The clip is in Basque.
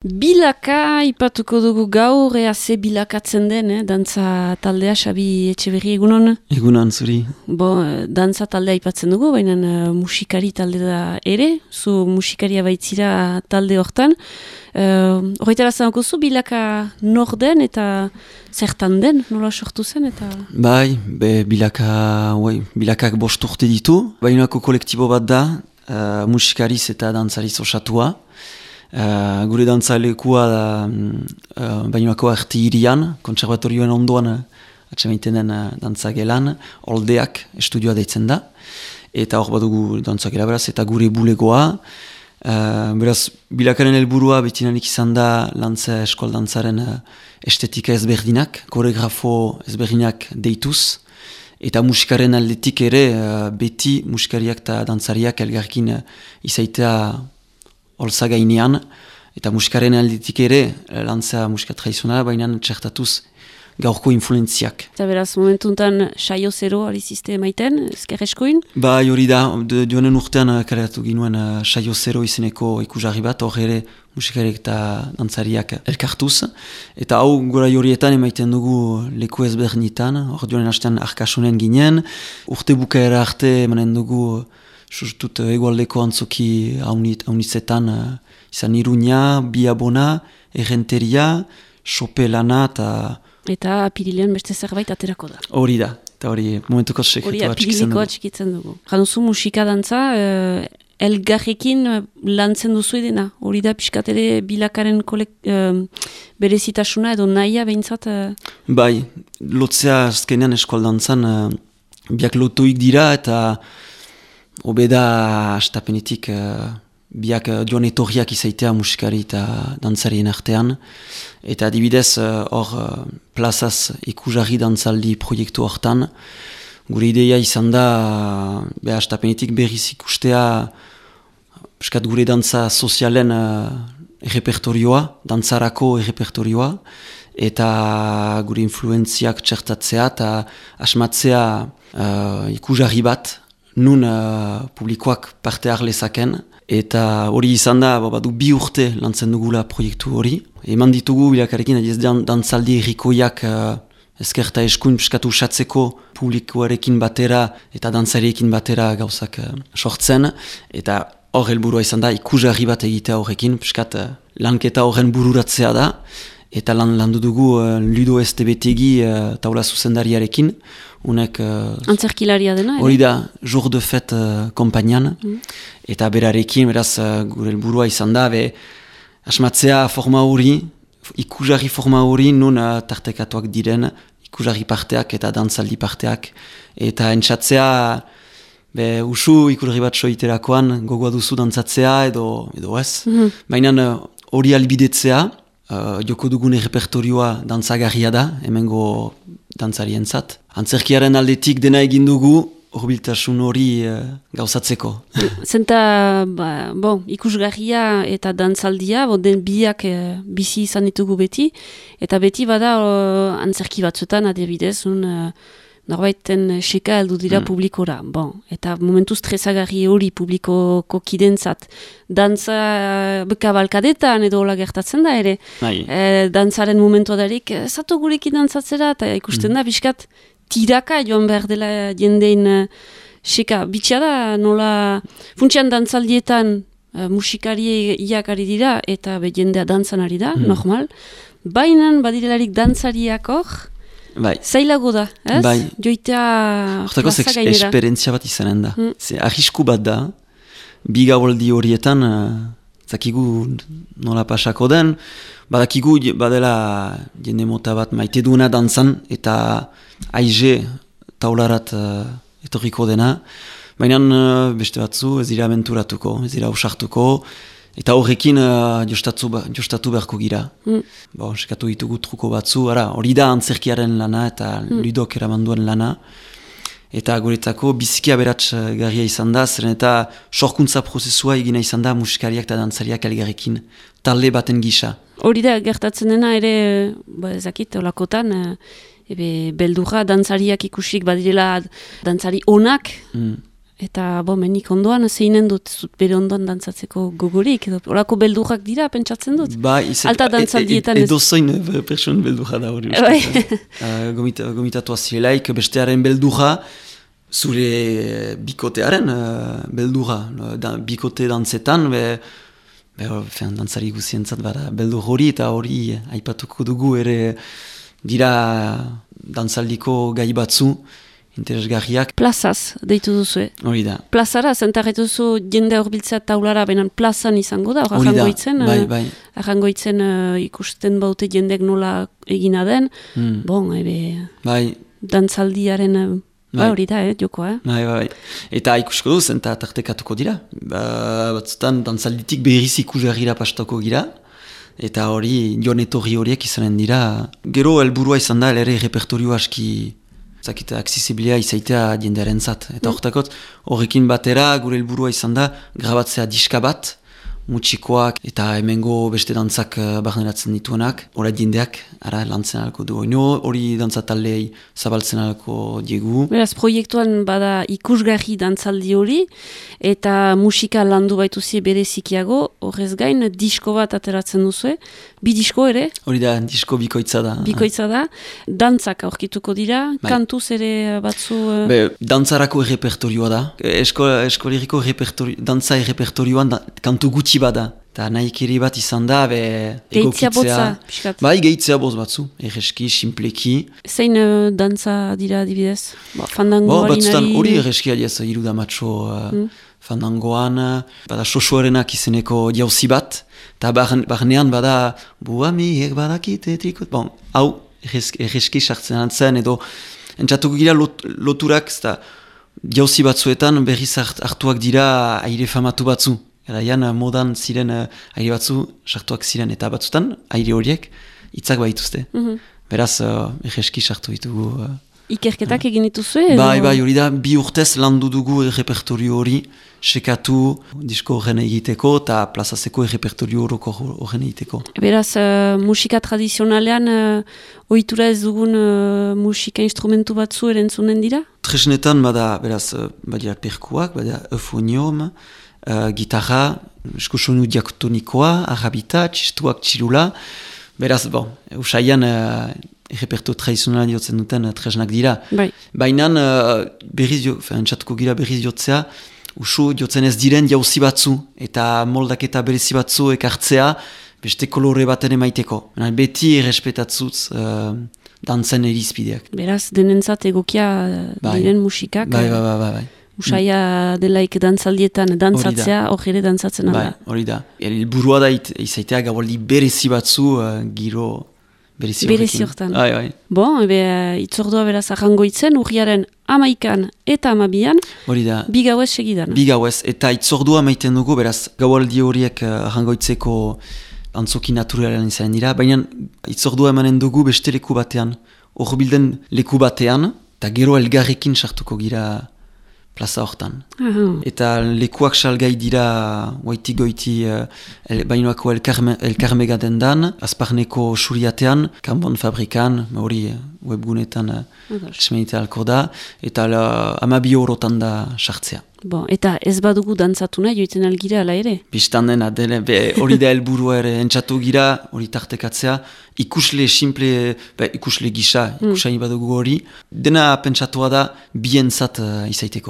Bilaka ipatuko dugu gaur, ze bilakatzen den, dantza taldea, Xabi Etxeberri, egunon? Egunon, zuri. Dantza taldea ipatzen dugu, baina musikari talde da ere, zu musikaria baitzira talde hortan. Horretara zanoko zu, bilaka nor den eta zertan den, nola sortu zen? Eta... Bai, bilakak 5 urte ditu. Bainako kolektibo bat da, musikariz eta dantzariz osatua. Gure dantzalekua da Bainako Arti Hirian, kontserbatorioen ondoan atxemaiten den dantzagelan, Oldeak estudioa deitzen da, eta hor badugu dantzagela beraz, eta gure bulegoa. Beraz, bilakaren helburua betinanik izan da lantza eskol dantzaren estetika ezberdinak, koreografo ezberdinak deituz, eta musikaren aldetik ere beti musikariak eta dantzariak elgarkin izaitea holtza gainean, eta musikaren aldetik ere, lantza musika tradizionala, baina txertatuz gaurko influenziak. Eta beraz, momentuntan saio zero alizizte emaiten, ezker eskoin? Bai, hori da, joanen urtean kaleratu ginuen saio zero izeneko ikusarri bat, hor ere musikariak eta dantzariak elkartuz. Eta hau gora horietan emaiten dugu leku ezberdinetan, hor joanen hastean Arkasunen ginen, urte bukaera arte emanen dugu sustut egualdeko antzoki haunitzetan izan Iruña, Biabona, Errenteria, Sopelana eta apirilean beste zerbait aterako da. Hori da, eta hori momentuko sekretua atxikitzen dugu. Januzu musika dantza, elgarrekin lantzen duzu edena. Hori da pixkatere bilakaren berezitasuna edo nahia behintzat? Bai, lotzea azkenean eskual dantzan biak lotuik dira eta obeda astapenetik biak joan etorriak izaitea musikari eta dantzarien artean. Eta adibidez hor plazaz ikusarri dantzaldi proiektu hortan. Gure ideia izan da astapenetik berriz ikustea gure dantza sozialen errepertorioa, dantzarako errepertorioa, eta gure influenziak txertatzea eta asmatzea ikusarri bat, nun publikoak parte harlezaken, eta hori izan da, badu 2 urte lantzen dugula proiektu hori. Eman ditugu bilakarekin, adiez dantzaldi errikoiak ezkerta eskuin piskatu usatzeko publikoarekin batera eta dantzariekin batera gauzak sortzen, eta hor helburua izan da, ikusarri bat egitea horrekin, piskat lanketa horren bururatzea da, eta landu dugu Ludo Estebetegi taula zuzendariarekin, unek... Antzerkilaria dena, hori da, Jour de Fête kompainian, eta berarekin, beraz, gure helburua izan da, asmatzea forma hori, ikusarri forma hori, nun tartekatuak diren, ikusarri parteak eta dantzaldi parteak, eta entzatzea, usu ikusarri bat soiterakoan, gogoa duzu dantzatzea edo ez, baina hori albidetzea, joko dugun repertorioa dantzagarria da, hemengo dantzarientzat. Antzerkiaren aldetik dena egin dugu, horbiltasun hori gauzatzeko. Zenta, ikusgarria eta dantzaldia, den biak bizi izan ditugu beti, eta beti bada antzerki batzuetan, adibidez, norbaiten seka heldu dira publikora. Eta momentu stresagarri hori publikoko kidentzat. Dantza bekabalkadetan edo hola gertatzen da ere. Dantzaren momentua darik, zato gurekin dantzatzera, eta ikusten da, biskat tiraka joan behar dela jendein seka. Bitxia da, nola funtsian dantzaldietan musikari iakari dira, eta jendea dantzan ari da, normal. Bainan badirelarik dantzariak hor, zailago da, ez? Bai. Joitea plaza gainera. Esperientzia bat izanen da. Arrisku bat da, bigaboldi horietan, zakigu nola pasako den, badakigu badela jende mota bat maite duena dantzan, eta aize taularat etorriko dena, baina beste batzu ez dira aventuratuko, ez dira usartuko, eta horrekin jostatu beharko gira. Sekatu ditugu truko batzu, hori da antzerkiaren lana eta Ludok eramanduen lana. Eta guretzako biziki aberats garria izan da, zeren eta sorkuntza prozesua egina izan da musikariak eta dantzariak elgarrekin talde baten gisa. Hori da, gertatzen dena ere, ezakit, olakotan, beldurra dantzariak ikusik badirela dantzari onak, Eta, menik ondoan, zeinen dut zut bere ondoan dantzatzeko gogorik, edo olako beldurrak dira, pentsatzen dut? Alta dantzaldietan ez. Edo zoin person beldurra da hori. Gomitatu azirelaik, bestearen beldurra, zure bikotearen beldurra. Bikote dantzetan, dantzari guzientzat bada beldur hori, eta hori aipatuko dugu ere dira dantzaldiko gai batzu, interesgarriak. Plazaz, deitu duzu, Hori da. Plazara, zentarretu duzu jende horbiltzea taulara, benan plazan izango da, hori da, bai. Arrangoitzen ikusten baute jendek nola egina den, bai. Dantzaldiaren, hori da, jokoa. Bai. Eta ikusko duz, eta tartekatuko dira. Batzutan, dantzalditik berriz ikusgarrira pastoko gira, eta hori, joan etorri horiek izanen dira. Gero, helburua izan da, ere repertorio aski zakita aksesibilia izaitea jendearen zat. Eta horrekin batera, gure helburua izan da, grabatzea diska bat, mutxikoak eta hemengo beste dantzak barneratzen dituenak, hori jendeak, lantzen alko du. Hori dantzataldei zabaltzen alko diegu. Beraz, proiektuan bada ikusgarri dantzaldi hori, eta musika landu baituzie berezikiago, horrez gain, disko bat ateratzen duzu, bi disko ere? Hori da, disko bikoitza da. Bikoitza da. Dantzak aurkituko dira, kantuz ere batzu... Dantzarako repertorioa da. Eskoleriko dantza repertorioan kantu gutxi bada. Eta nahi keri bat izan da, Gehitzea botza, piskat. Gehitzea boz batzu, erreski, simpleki. Zein dantza dira adibidez? Fandango harinari... Hori erreski adiaz, iruda matxo fandangoan, bada sosoarenak izeneko jauzi bat, eta barnean bada buamiek badakite trikot. Hau erreski sartzen antzen, edo entzatuko gira loturak, jauzi batzuetan berriz hartuak dira aire famatu batzu. Eraian modan ziren aire batzu sartuak ziren, eta batzutan aire horiek hitzak baituzte. Beraz, erreski sartu ditugu. Ikerketak egin dituzu? Bai, hori da, 2 urtez landu dugu repertorio hori, sekatu disko horren egiteko eta plazazeko repertorio horren egiteko. Beraz, musika tradizionalean, ohitura ez dugun musika instrumentu batzu erentzunen dira? Tresnetan, beraz, badira perkuak, badira eufonium, gitarra, eskusonu diaktonikoa, arrabita, txistuak txilula. Beraz, usaian reperto tradizionala diotzen duten tresnak dira. Baina entzatuko gira berriz jotzea, usu jotzen ez diren jauzi batzu, eta moldaketa berezi batzu ekartzea, beste kolore baten emaiteko. Beti errespetatzuz dantzen erizpideak. Beraz, denentzat egokia diren musikak. Bai. Usaia delaik dantzaldietan dantzatzea, hor ere dantzatzen alda. Hori da. Burua da izaitea gabaldi berezi batzu giro berezi horretan. Itzordua beraz arrangoitzen, urriaren 11an eta 12an, hori da. 2 gauez segidan. 2 gauez, eta itzordua maiten dugu, beraz, gaualdi horiek arrangoitzeko antzoki naturalean izan dira, baina itzordua emanen dugu beste leku batean, hor bilden leku batean, eta gero elgarrekin sartuko gira plaza hortan. Eta lekuak salgai dira goiti bainoako elkarmega dendan, azparneko suriatean, kanbon fabrikan, hori webgunetan esmenite alko da, eta 12 eurotan da sartzea. Eta ez badugu dantzatu nahi joiten algira ala ere? Bistan dena, hori da helburua ere entzatu gira, hori tartekatzea, ikusle simple, ikusle gisa, ikusain badugu hori, dena pentsatua da bientzat izaiteko.